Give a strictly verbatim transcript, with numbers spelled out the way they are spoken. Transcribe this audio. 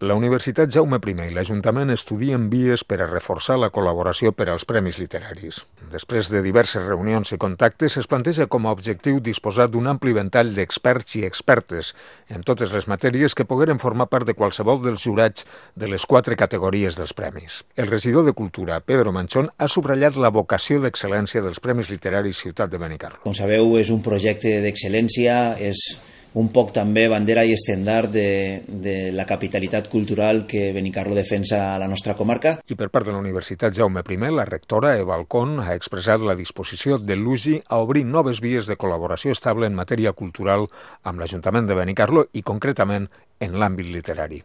La Universitat Jaume I i l'Ajuntament estudien vies per a reforçar la col·laboració per als Premis Literaris. Després de diverses reunions i contactes, es planteja com a objectiu disposar d'un ampli ventall d'experts i expertes en totes les matèries que pogueren formar part de qualsevol dels jurats de les quatre categories dels premis. El regidor de Cultura, Pedro Manchón, ha subratllat la vocació d'excel·lència dels Premis Literaris Ciutat de Benicarló. Com sabeu, és un projecte d'excel·lència, és un poc també bandera i estendard de, de la capitalitat cultural que Benicarló defensa a la nostra comarca. I per part de la Universitat Jaume I, la rectora Eva Alcón ha expressat la disposició de l'U G I a obrir noves vies de col·laboració estable en matèria cultural amb l'Ajuntament de Benicarló i concretament en l'àmbit literari.